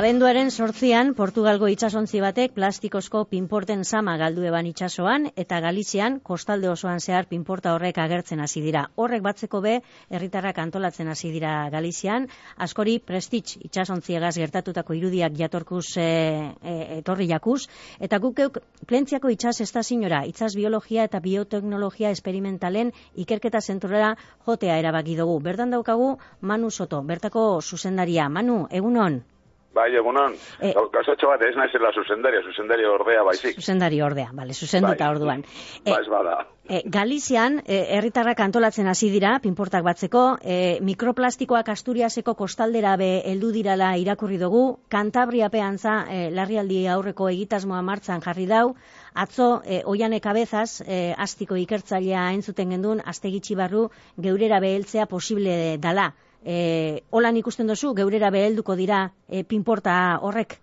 Abenduaren 8an, Portugalgo itsasontzi batek plastikozko pinporten sama galdu eban itsasoan eta Galizian kostalde osoan zehar pinporta horrek agertzen hasi dira. Horrek batzeko be, herritarrak antolatzen hasi dira Galizian, askori Prestige itsasontziegaz gertatutako irudiak jatorkuz etorri jakuz, eta gukeuk Plentziako itsas estaziora, itsas biologia eta bioteknologia esperimentalen ikerketa zentrora jotea erabaki dugu. Bertan daukagu Manu Soto, bertako zuzendaria. Manu, egunon? Bai, egunon. Gauzatxo bat, ez naizela zuzendari ordea baizik. Zuzendari ordea, bale, zuzenduta bai. Orduan. Ez bada. Galizian, herritarrak antolatzen hasi dira, pinportak batzeko, mikroplastikoak Asturiaseko kostaldera be heldu dirala irakurri dugu, Kantabriapean za, larrialdi aurreko egitasmoa martzan jarri dau, atzo, Oiane Cabezas, astiko ikertzailea entzuten gendun, astegitxi barru, geurera beheltzea posible dala. Holan ikusten dozu, geurera behelduko dira pinporta horrek?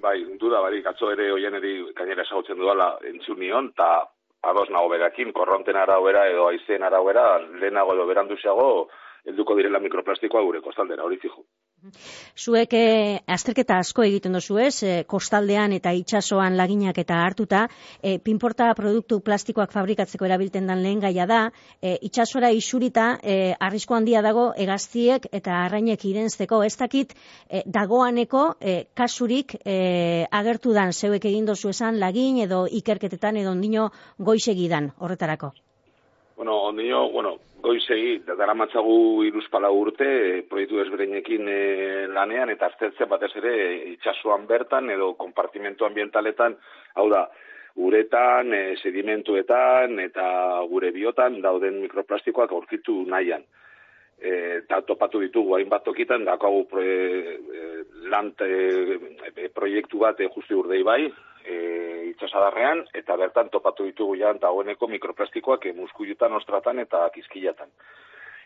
Bai, duda barik, atzo ere Oianeri gainera esagutzen dudala entzun nion, eta ados nago berakin, korronten arauera edo aizeen arauera, lehenago edo beranduziago, helduko direla mikroplastikoa gure kostaldera, hori fijo. Zuek azterketa asko egiten dozu ez, kostaldean eta itsasoan laginak eta hartuta, pinporta produktu plastikoak fabrikatzeko erabiltzen den lehen gaia da, itsasora isurita arrisku handia dago hegaztiek eta arrainek irentzeko, ez dakit dagoaneko kasurik agertu dan zeuek egin dozu esan lagin edo ikerketetan edo ondino goizegidan horretarako? Ondino, goizegi, daramatzagu 3-4 urte, proiektu ezberdinekin lanean, eta aztertzen batez ere itsasoan bertan edo konpartimentu ambientaletan, hau da, uretan, sedimentuetan eta gure biotan dauden mikroplastikoak aurkitu nahian. Eta topatu ditugu hainbat tokitan, dakagu proiektu bat justu urdei bai, itsasadarrean, eta bertan topatu ditugu dagoeneko mikroplastikoak muskuilutan, ostratan eta kizkilatan.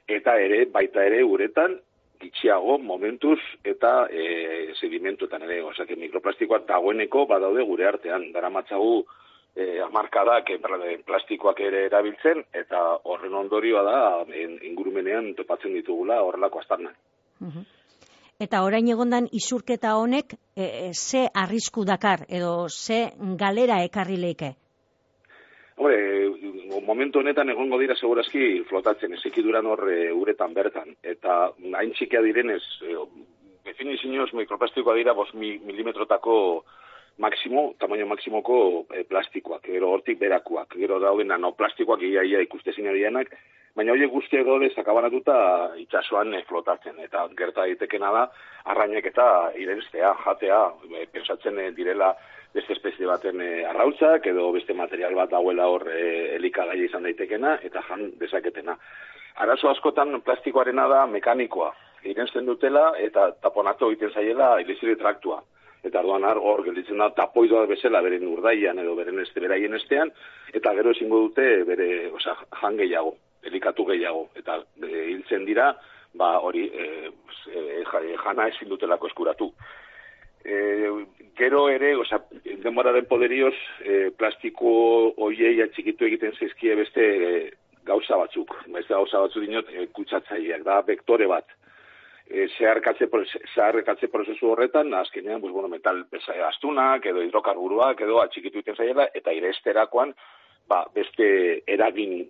Eta baita ere uretan, gitxiago, momentuz, eta sedimentuetan ere, osea, mikroplastikoak dagoeneko badaude gure artean, daramatzagu hamarkadak plastikoak ere erabiltzen, eta horren ondorioa da ingurumenean topatzen ditugula horrelako aztarnak. Eta orain egondan isurketa honek ze arrisku dakar edo ze galera ekarri leike? Momentu honetan egongo dira segurazki flotatzen, ezekiduran hor uretan bertan, eta hain txikia direnez, definizioz mikroplastikoa dira 5 milimetrotako tamaino maksimoko plastikoak, gero hortik berakoak, gero dauden nanoplastikoak ia ikustezina dianak, baina horiek guztiak daude sakabanatuta itsasoan flotatzen, eta gerta daitekena da, arrainek eta irentztea, jatea, pensatzen direla beste espezie baten arrautzak, edo beste material bat dauela hor elikagaia izan daitekena, eta jan dezaketena. Arazo askotan plastikoarena da mekanikoa, irentzen dutela, eta taponatu egiten zaiela ilizire traktua. Eta arduan hor gelditzen da tapoidoa bezala beren urdaian edo beraien estean, eta gero ezingo dute bere jan gehiago, elikatu gehiago, eta hiltzen dira, hori jana ezin dutelako eskuratu. Gero ere, denboraren poderioz, plastiko hoiei atxikitu egiten zaizkie beste gauza batzuk. Beste gauza batzuk dinot kutsatzaileak, da vektore bat. Zeharrekatze prozesu horretan, azkenean, metal astunak edo hidrokarburuak edo atxikitu egiten zaiela, eta iresterakoan beste eragin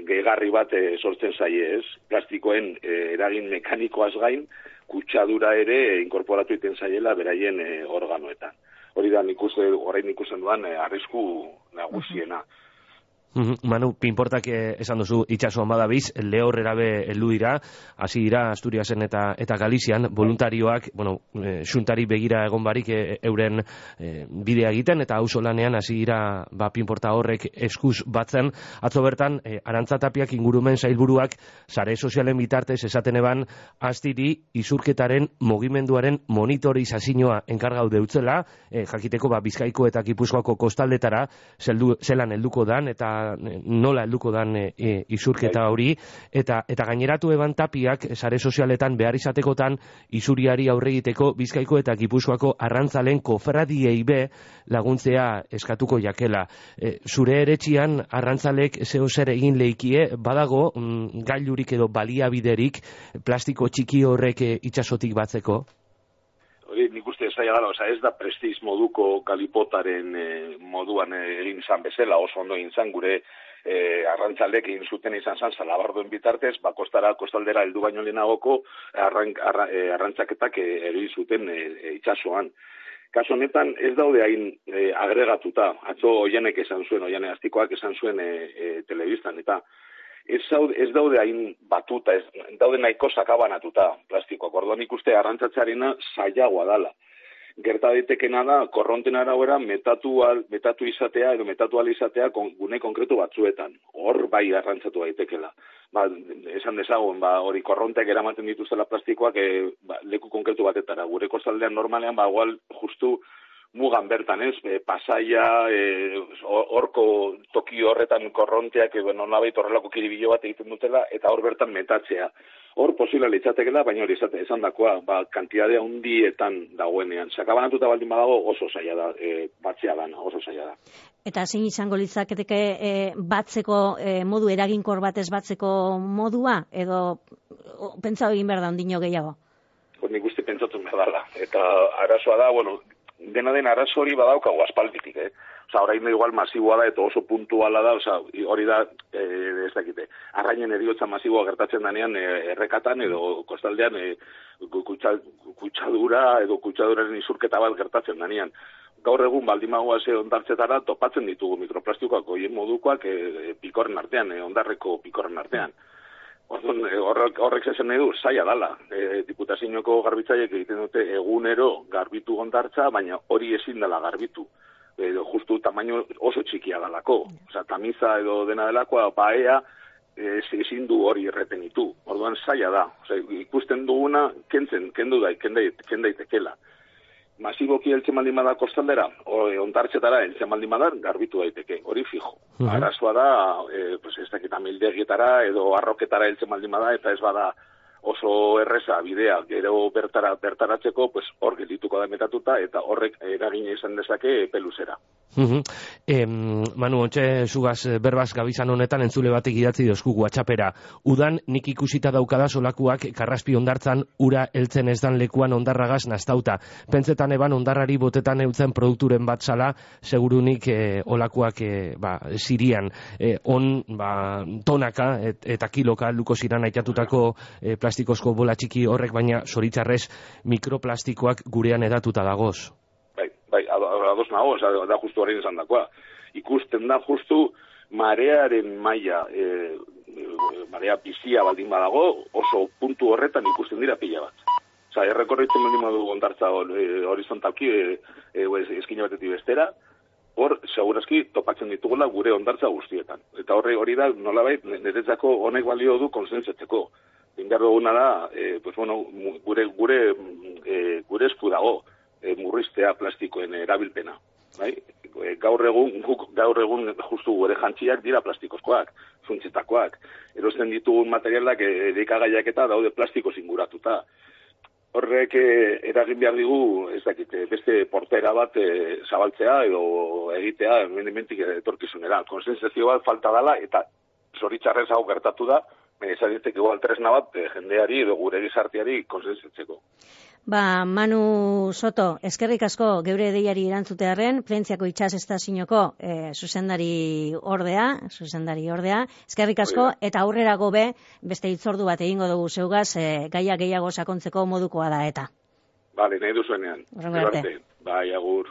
gehigarri bat sortzen zaie, ez? Plastikoen eragin mekanikoaz gain, kutsadura ere inkorporatu egiten zaiela beraien organoetan. Hori da orain ikusten duan arrisku nagusiena. Manu, pinportak esan duzu itsasoan badabiz, lehorrera be heldu dira, hasi dira Asturiasen eta Galizian, voluntarioak, xuntari begira egon barik euren bidea egiten, eta auzolanean hasi dira pinporta horrek eskuz batzen. Atzo bertan, Arantza Tapiak ingurumen sailburuak sare sozialen bitartez esaten eban, astiri isurketaren mugimenduaren monitorizazioa enkargau deutzela, jakiteko Bizkaiko eta Gipuzkoako kostaldetara zelan helduko dan, eta nola helduko dan isurketa hori, eta gaineratu eban Tapiak sare sozialetan behar izatekotan isuriari aurre egiteko Bizkaiko eta Gipuzkoako arrantzalen kofradiei be laguntzea eskatuko jakela. Zure eretxian arrantzalek zeo zer egin leikie, badago gailurik edo baliabiderik plastiko txiki horrek itsasotik batzeko? Nik ustez, zaila dela, ez da prestiz moduko galipotaren moduan egin zan bezala, oso ondo egin zan gure arrantzalek egin zuten izan zan, Salabarduen bitartez, kostaldera heldu baino lehenagoko arrantzaketak egin zuten itsasoan. Kaso honetan ez daude hain agregatuta, atzo Oianek esan zuen, Oiane Astikoak esan zuen telebistan, eta ez daude hain batuta, daude nahiko sakabanatuta plastikoak. Orduan ikuste arrantzatzearena zailagoa dala. Gerta daitekena da, korronten arabera metatu izatea edo metatu al izatea gune konkretu batzuetan. Hor bai arrantzatu daitekela. Esan dezagun, hori korronteak eramaten dituztela plastikoak leku konkretu batetara. Gure kostaldean normalean, igual justu mugan bertan, ez? Pasaia, horko toki horretan korronteak, nolabait horrelako kiribilo bat egiten dutela, eta hor bertan metatzea. Hor posibla litzatekela, baina hori esan dakoa, kantidadea hundietan dagoenean. Sakabanatuta baldin badago oso zaila da, batzea dana, oso zaila da. Eta zein izango litzaketeke batzeko modu eraginkor batez batzeko modua, edo pentsau egin behar da ondino gehiago? Nik uste pentsatu behar dela. Eta arazoa da, dena den arazo hori badaukagu aspalditik, orain igual masiboa da eta oso puntuala da, hori da, ez dakite, arrainen eriotza masiboa gertatzen danean errekatan edo kostaldean kutsadura edo kutsaduraren izurketa bat gertatzen danean. Gaur egun baldimagoa ondartzetara topatzen ditugu mikroplastikoak oien modukoak pikorren artean, ondarreko pikorren artean. Horrek esan nahi du, zaila dala. Diputazioko garbitzaiek egiten dute egunero garbitu ondartza, baina hori ezin dela garbitu. Justu tamaino oso txikia dalako. Tamiza edo dena delakoa, baea, ezin du hori erretenitu. Orduan zaila da. Ikusten duguna, kendu daitekela. Masiboki heltzen baldin bada kostaldera, ondartzetara heltzen baldin bada, garbitu daiteke, hori fijo. Arazoa da, ez dakit amildegietara edo arroketara heltzen baldin bada, eta ez bada oso erreza bidea gero bertaratzeko, hor geldituko da metatuta, eta horrek eragina izan dezake peluzera. Manu, ontxe zugaz berbaz gabizan honetan entzule batek idatzi dozku WhatsAppera. Udan nik ikusita daukada solakuak karraspi ondartzan ura heltzen ez dan lekuan ondarragaz nastauta. Pentsetan eban ondarrari botetan eutzen produkturen bat zala, segurunik olakuak Sirian. Tonaka eta kiloka luko ziran aitatutako plastikozko bola txiki horrek, baina zoritzarrez mikroplastikoak gurean edatuta dagoz. Ados nago, da justu horrein esan dakoa. Ikusten da justu marearen maila, marea bizia baldin badago, oso puntu horretan ikusten dira pila bat. Errekorritzen baldin badu ondartza horizontalki, eskina batetik bestera, hor, segurazki, topatzen ditugula gure ondartza guztietan. Eta hori da, nolabait, niretzako honek balio du konsentzatzeko. Indar duguna da, gure esku dago murriztea plastikoen erabilpena. Gaur egun justu gure jantziak dira plastikozkoak, zuntzetakoak. Erosten ditugun materialak erikagaiak eta daude plastiko zinguratuta. Horrek eragin behar digu, ez dakit, beste portera bat zabaltzea edo egitea mendimentik etorkizunera. Konsensazio bat falta dela eta zoritzarrez hau gertatu da, ezanetek igual tresna bat jendeari edo gure gizarteari konsensatzeko. Manu Soto, eskerrik asko geure deiari erantzutearen, Plentziako itsas estazioko zuzendari ordea, eskerrik asko, eta aurrera gobe, beste hitzordu bat egingo dugu zeugaz, gaia gehiago sakontzeko modukoa da eta. Bale, nahi duzuenean. Bai, agur.